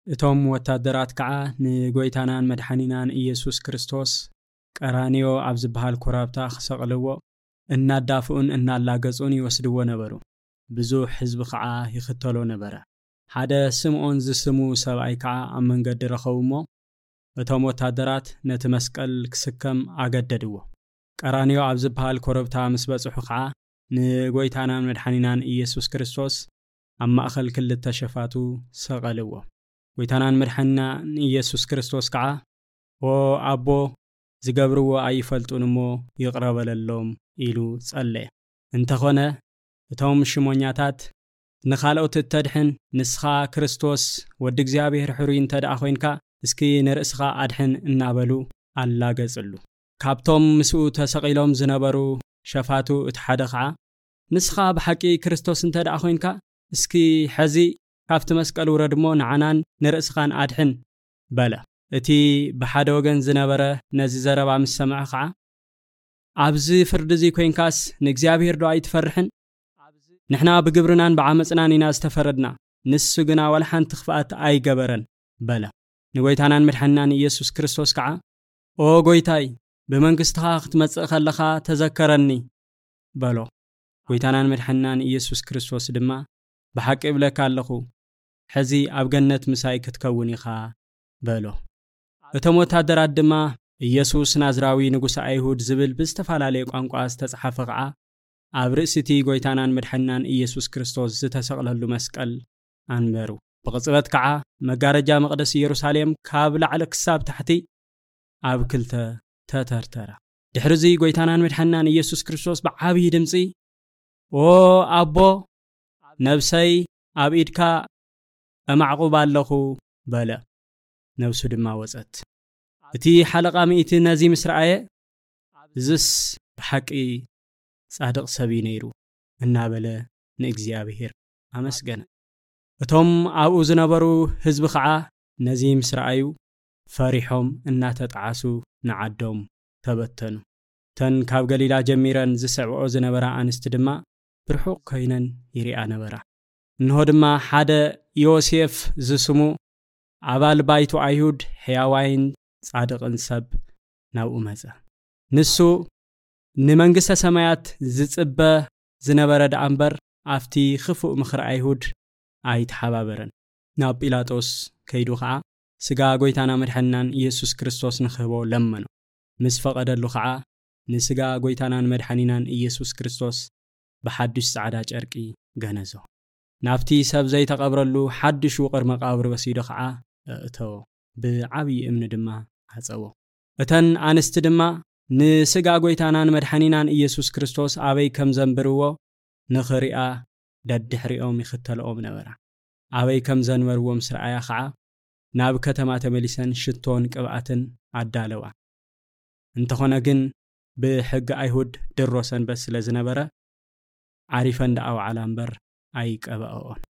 እቶም ወታደራት ከዓ ንጎይታናን መድሓኒናን ኢየሱስ ክርስቶስ ቀራንዮ ኣብ ዝበሃል ኮረብታ ክሰቕልዎ እናዳፍኡን እናላገጹን ይወስድዎ ነበሩ። ብዙሕ ህዝቢ ከዓ ይኽተሎ ነበረ። ሓደ ስምዖን ዝስሙ ሰብኣይ ከዓ ኣብ መንገዲ ረኸቡ እሞ፣ እቶም ወታደራት ነቲ መስቀል ክስከም ኣገደድዎ። ቀራንዮ ኣብ ዝበሃል ኮረብታ ምስ በጽሑ ከዓ ንጎይታናን መድሓኒናን ኢየሱስ ክርስቶስ ኣብ ማእከል ክልተ ሸፋቱ ሰቐልዎ። ጎይታናን መድሓኒናን ኢየሱስ ክርስቶስ ከዓ፣ "ኦ ኣቦ፣ ዝገብርዎ ኣይፈልጡን እሞ ይቕረ በለሎም" ኢሉ ጸለየ። እንተኾነ፣ እቶም ሽሞኛታት፣ "ንኻልኦት እተድሕን፣ ንስኻ ክርስቶስ ወዲ እግዚኣብሔር ሕሩይ እንተ ደኣ ኾይንካ፣ እስኪ ንርእስኻ ኣድሕን" እናበሉ ኣላገጽሉ። ካብቶም ምስኡ ተሰቒሎም ዝነበሩ ሸፋቱ እቲ ሓደ ኸዓ፣ "ንስኻ ብሓቂ ክርስቶስ እንተ ደኣ ኾይንካ፣ እስኪ ሐዚ ካብቲ መስቀል ውረድ እሞ ንዓናን ንርእስኻን ኣድሕን" በለ። እቲ ብሓደ ወገን ዝነበረ ነዚ ዘረባ ምስ ሰምዐ ኸዓ፣ "ኣብዚ ፍርዲ እዚ ኮይንካስ ንእግዚኣብሔር ዶ ኣይትፈርሕን? ንሕና ብግብርናን ብዓመጽናን ኢና ዝተፈረድና፣ ንሱ ግና ዋላ ሓንቲ ክፍኣት ኣይገበረን" በለ። ንጎይታናን መድሓኒናን ኢየሱስ ክርስቶስ ከዓ፣ "ኦ ጎይታይ፣ ብመንግስትኻ ክትመጽእ ከለኻ ተዘከረኒ" በሎ። ጎይታናን መድሓኒናን ኢየሱስ ክርስቶስ ድማ፣ "ብሓቂ እብለካ ኣለኹ፣ ሕዚ ኣብ ገነት ምሳይ ክትከውን ኢኻ" በሎ። እቶም ወታደራት ድማ፣ "ኢየሱስ ናዝራዊ ንጉስ ኣይሁድ" ዝብል ብዝተፈላለየ ቋንቋ ዝተጻሓፈ ኸዓ ኣብ ርእሲ እቲ ጎይታናን መድሓኒናን ኢየሱስ ክርስቶስ ዝተሰቕለሉ መስቀል ኣንበሩ። ብቕጽበት ከዓ መጋረጃ መቕደስ ኢየሩሳሌም ካብ ላዕሊ ክሳብ ታሕቲ ኣብ ክልተ ተተርተረ። ድሕሪ እዚ ጎይታናን መድሓኒናን ኢየሱስ ክርስቶስ ብዓብዪ ድምጺ፣ "ኦ ኣቦ፣ ነብሰይ ኣብ ኢድካ እማዕቑብ ኣለኹ" በለ። ነብሱ ድማ ወጸት። እቲ ሓለቓ ሚእቲ ነዚ ምስ ረኣየ፣ "እዝስ ብሓቂ ጻድቕ ሰብ እዩ ነይሩ" እናበለ ንእግዚኣብሔር ኣመስገነ። እቶም ኣብኡ ዝነበሩ ህዝቢ ኸዓ ነዚ ምስ ረኣዩ፣ ፈሪሖም እናተጠዓሱ ንዓዶም ተበተኑ። እተን ካብ ገሊላ ጀሚረን ዝስዕብኦ ዝነበራ ኣንስቲ ድማ ብርሑቕ ኮይነን ይሪኣ ነበራ። እንሆ ድማ ሓደ ዮሴፍ ዝስሙ ኣባል ባይቶ ኣይሁድ፣ ሕያዋይን ጻድቕን ሰብ ናብኡ መጸ። ንሱ ንመንግስተ ሰማያት ዝጽበ ዝነበረ ደኣ እምበር፣ ኣብቲ ክፉእ ምኽሪ ኣይሁድ ኣይተሓባበረን። ናብ ጲላጦስ ከይዱ ኸዓ፣ ስጋ ጎይታና መድሓኒናን ኢየሱስ ክርስቶስ ንኽህቦ ለመኖ። ምስ ፈቐደሉ ኸዓ፣ ንስጋ ጎይታናን መድሓኒናን ኢየሱስ ክርስቶስ ብሓድሽ ጻዕዳ ጨርቂ ገነዞ። ናብቲ ሰብ ዘይተቐብረሉ ሓድሽ ውቕር መቓብር ወሲዱ ኸዓ ኣእተዎ። ብዓብዪ እምኒ ድማ ዓጸዎ። እተን ኣንስቲ ድማ ንስጋ ጎይታናን መድሓኒናን ኢየሱስ ክርስቶስ ኣበይ ከም ዘንብርዎ ንኽሪኣ ደድሕሪኦም ይኽተልኦም ነበራ። ኣበይ ከም ዘንበርዎ ምስ ረኣያ ኸዓ፣ ናብ ከተማ ተመሊሰን ሽቶን ቅብኣትን ኣዳለዋ። እንተኾነ ግን፣ ብሕጊ ኣይሁድ ድሮ ሰንበት ስለ ዝነበረ፣ ዓሪፈን ደኣ ወዓላ እምበር ኣይቀብኣኦን።